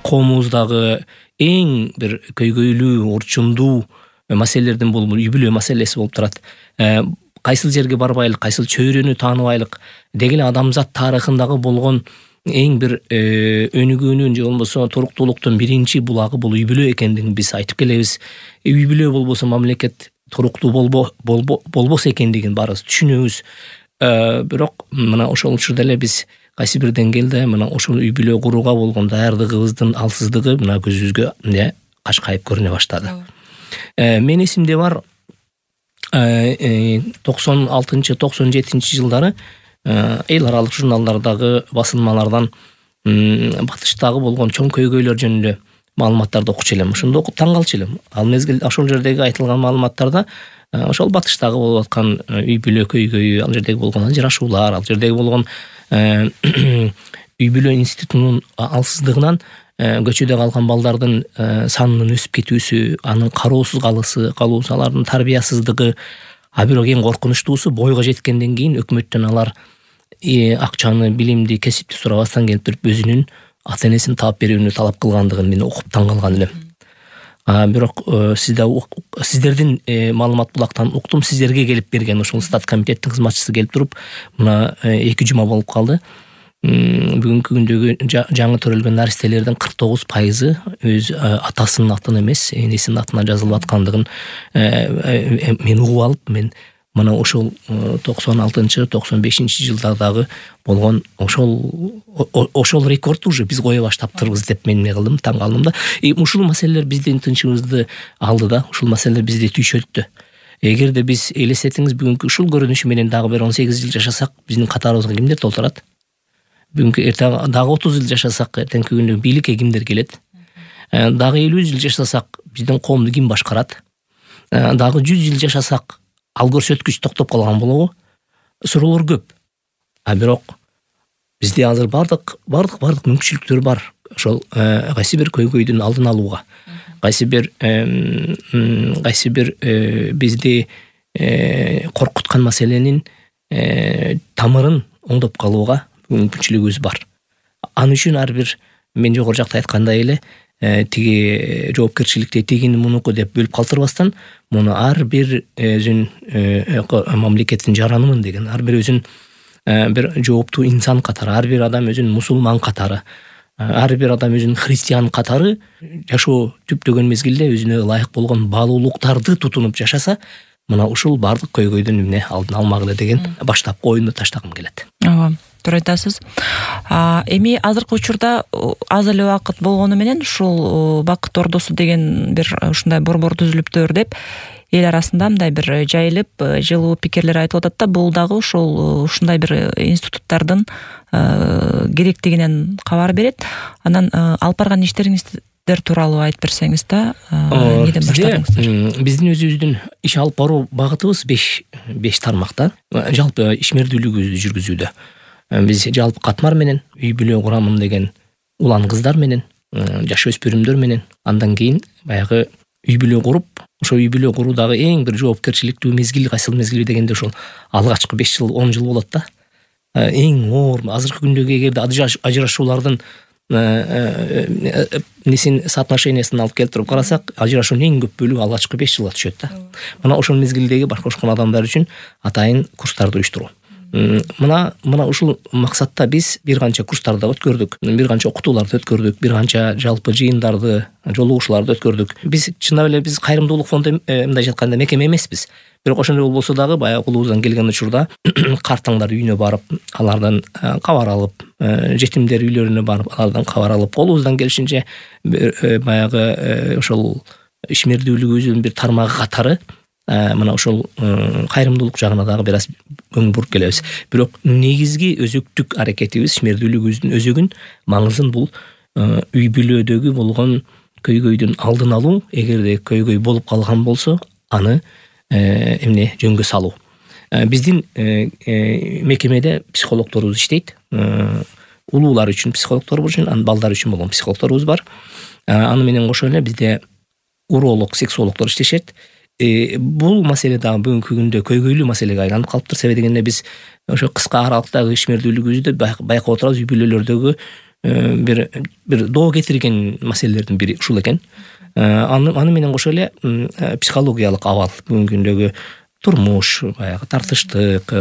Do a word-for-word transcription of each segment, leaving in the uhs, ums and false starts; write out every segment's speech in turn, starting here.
коомубуздагы эң бир көйгөйлүү, орчундуу маселелердин болуп үй бүлө маселеси болуп турат. Кайсыл жерге барбайлык, кайсыл чөйрөнү тааныбайлык деги эле адамзат тарыхындагы болгон эң бир өнүгүүнүн же болбосо туруктуулуктун биринчи булагы бул үй бүлө экендигин биз айтып келебиз. Үй бүлө болбосо мамлекет туруктуу болбо болбос экендигин баарыбыз түшүнөбүз. Бирок мына ошол учурда эле биз кайсы бир деңгээлде мына ошол үй бүлө курууга болгон даярдыгыбыздын алсыздыгы мына көзүбүзгө эмне кашкайып көрүнө баштады. Мен эсимде бар токсон алтынчы токсон жетинчи жылдары эл аралык журналдардагы басылмалардан батыштагы болгон чоң көйгөйлөр жөнүндө маалыматтарды окучу элем. Ошондо окуп таң калчу элем. Ал мезгил ошол жердеги айтылган маалыматтарда ошол батыштагы болуп аткан үй бүлө көйгөйү, ал жердеги болгон ажырашуулар, ал жердеги болгон үй бүлө институтунун алсыздыгынан көчөдө калган балдардын санынын өсүп кетүүсү, анын кароосуз калысы, калуусу, алардын тарбиясыздыгы, а бирок эң коркунучтуусу бойго жеткенден кийин өкмөттөн алар акчаны, билимди, кесипти сурабастан келип туруп өзүнүн ата энесин таап берүүнү талап кылгандыгын мен окуп таң калган элем. Бирок сизде сиздердин маалымат булактан уктум, сиздерге келип берген ошол стат комитеттин кызматчысы келип туруп мына эки жума болуп калды. Бүгүнкү күндөгү жаңы төрөлгөн наристелердин кырк тогуз пайызы өз атасынын атына эмес, энесинин атына жазылып аткандыгын мен угуп алып, мен мына ошол токсон алтынчы токсон бешинчи жылдардагы болгон ошол ошол рекордду уже биз кое баштаптырбыз деп мен эмне кылдым, таң калдым да. Ушул маселелер биздин тынчыбызды алды да, ушул маселелер бизди түйшөлттү. Эгерде биз элестетиңиз, бүгүнкү ушул көрүнүшү менен дагы бир он сегиз жыл жашасак, биздин катарыбызга кимдер толтурат? Бүгүнкү эртең дагы отуз жыл жашасак, эртеңки күндө бийликке кимдер келет? Дагы элүү жыл жашасак, биздин коомду ким башкарат? Дагы жүз жыл жашасак, ал көрсөткүч токтоп калган болобу? Суроолор көп. А бирок бизде азыр бардык бардык бардык мүмкүнчүлүктөр бар. Ошол кайсы бир көйгөйдүн алдын алууга, кайсы бир кайсы бир бизди коркуткан маселенин тамырын оңдоп калууга мүмкүнчүлүгүбүз бар. Ан үчүн ар бир мен жогору жакта айткандай эле тиги жоопкерчиликти тигини мунуку деп бөлүп калтырбастан, муну ар бир өзүн мамлекеттин жаранымын деген, ар бир өзүн бир жооптуу инсан катары, ар бир адам өзүн мусулман катары, ар бир адам өзүн христиан катары жашоо түптөгөн мезгилде өзүнө ылайык болгон баалуулуктарды тутунуп жашаса, мына ушул бардык көйгөйдүн эмне алдын алмак эле деген баштапкы оюмду таштагым келет. Ооба, туура айтасыз. Эми азыркы учурда аз эле убакыт болгону менен ушул Бакыт Ордосу деген бир ушундай борбор түзүлүптүр деп эл арасында мындай бир жайылып, жылуу пикирлер айтылып атат да, бул дагы ушул ушундай бир институттардын керектигинен кабар берет. Анан алып барган иштериңиздер тууралуу айтып берсеңиз да, эмнеден баштадыңыздар? Биздин өзүбүздүн иш алып баруу багытыбыз беш беш тармакта. Жалпы ишмердүүлүгүбүздү жүргүзүүдө биз жалпы катмар менен, үй бүлө курамын деген улан кыздар менен, жаш өспүрүмдөр менен, андан кийин баягы үй бүлө куруп, ошо үй бүлө куруудагы эң бир жоопкерчиликтүү мезгил кайсыл мезгил дегенде ошол алгачкы беш жыл он жыл болот да. Эң оор азыркы күндөгү эгерде ажырашуулардын несин соотношениясын алып келип туруп карасак, ажырашуунун эң көп бөлүгү алгачкы беш жылга түшөт да. Мына ошол мезгилдеги башкошкон адамдар үчүн атайын курстарды уюштуруу. Мына мына ушул максатта биз бир канча курстарды өткөрдүк, бир канча окутууларды өткөрдүк, бир канча жалпы жыйындарды, жолугушууларды өткөрдүк. Биз чындап эле биз кайрымдуулук фонду мындай жатканда мекеме эмеспиз. Бирок ошондой болбосо дагы баягы кулубуздан келген учурда картаңдар үйүнө барып, алардан кабар алып, жетимдер үйлөрүнө барып, алардан кабар алып, колубуздан келишинче баягы ошол ишмердүүлүгүбүздүн бир тармагы катары мына ошол кайрымдуулук жагына дагы бир аз көңүл буруп келебиз. Бирок негизги өзөктүк аракетибиз ишмердүүлүгүбүздүн өзөгүн, маңызын бул үй бүлөдөгү болгон көйгөйдүн алдын алуу. Эгерде көйгөй болуп калган болсо, аны эмне жөнгө салуу. Биздин мекемеде психологдорубуз иштейт. Улуулар үчүн психологдорубуз үчүн, анан балдар үчүн болгон психологдорубуз бар. Аны менен кошо эле бизде уролог, сексологдор иштешет. бул маселе дагы бүгүнкү күндө көйгөйлүү маселеге айланып калыптыр. Себеби дегенде биз ошо кыска аралыктагы ишмердүүлүгүбүздү байкап отурабыз. Үй бүлөлөрдөгү бир бир доо кетирген маселелердин бири ушул экен. Аны аны менен кошо эле психологиялык абал, бүгүнкү күндөгү турмуш, баягы тартыштык,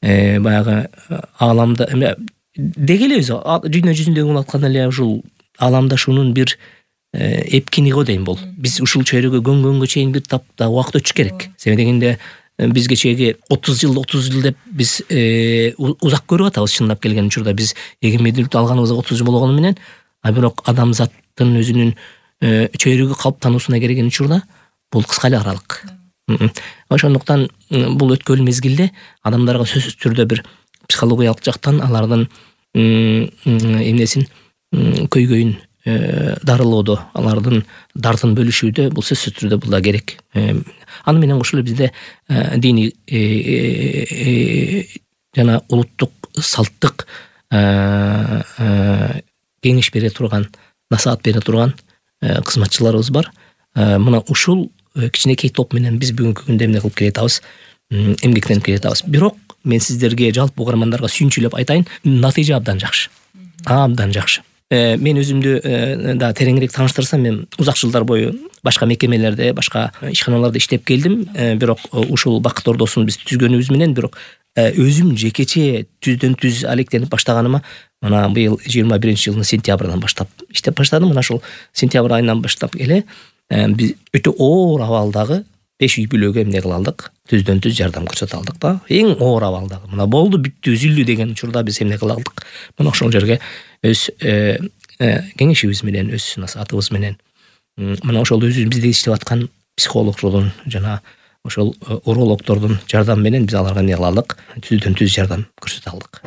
баягы ааламда деги эле өзү дүйнө жүзүндөгү болуп аткан эле ушул ааламдашуунун бир эпкини го дейм бул. Биз ушул чөйрөгө көнгөнгө чейин бир тапта убакыт өтүш керек. Себеби дегенде биз кечеги отуз жыл отуз жыл деп биз узак көрүп атабыз. Чындап келген учурда биз эгемендүүлүктү алганыбызга отуз жыл болгону менен, а бирок адамзаттын өзүнүн чөйрөгү калыптануусуна келген учурда бул кыска эле аралык. Ошондуктан бул өткөн мезгилде адамдарга сөзсүз түрдө бир психологиялык жактан алардын эмнесин көйгөйүн дарылоодо, алардын дартын бөлүшүүдө бул сөзсүз түрдө бул да керек. Аны менен кошо эле бизде диний жана улуттук салттык кеңеш бере турган, насаат бере турган кызматчыларыбыз бар. Мына ушул кичинекей топ менен биз бүгүнкү күндө эмне кылып келатабыз, эмгектенип келатабыз. Бирок мен сиздерге, жалпы угармандарга сүйүнчүлөп айтайын, натыйжа абдан жакшы. Абдан жакшы. Мен өзүмдү да тереңирээк тааныштырсам, мен узак жылдар бою башка мекемелерде, башка ишканаларда иштеп келдим. Бирок ушул Бакыт Ордосун биз түзгөнүбүз менен, бирок өзүм жекече түздөн түз алектенип баштаганыма мына быйыл жыйырма биринчи жылдын сентябрынан баштап иштеп баштадым. Мына ушул сентябрь айынан баштап эле биз өтө оор абалдагы беш үй бүлөгө эмне кыла алдык, түздөн түз жардам көрсөтө алдык да. Эң оор абалдагы. Мына болду, бүттү, үзүлдү деген учурда биз эмне кыла алдык? Мына ошол жерге өз кеңешибиз менен, өз насаатыбыз менен, мына ошол өзүбүз бизде иштеп аткан психологдордун жана ошол урологдордун жардамы менен биз аларга эмне кыла алдык? Түздөн түз жардам көрсөтө алдык.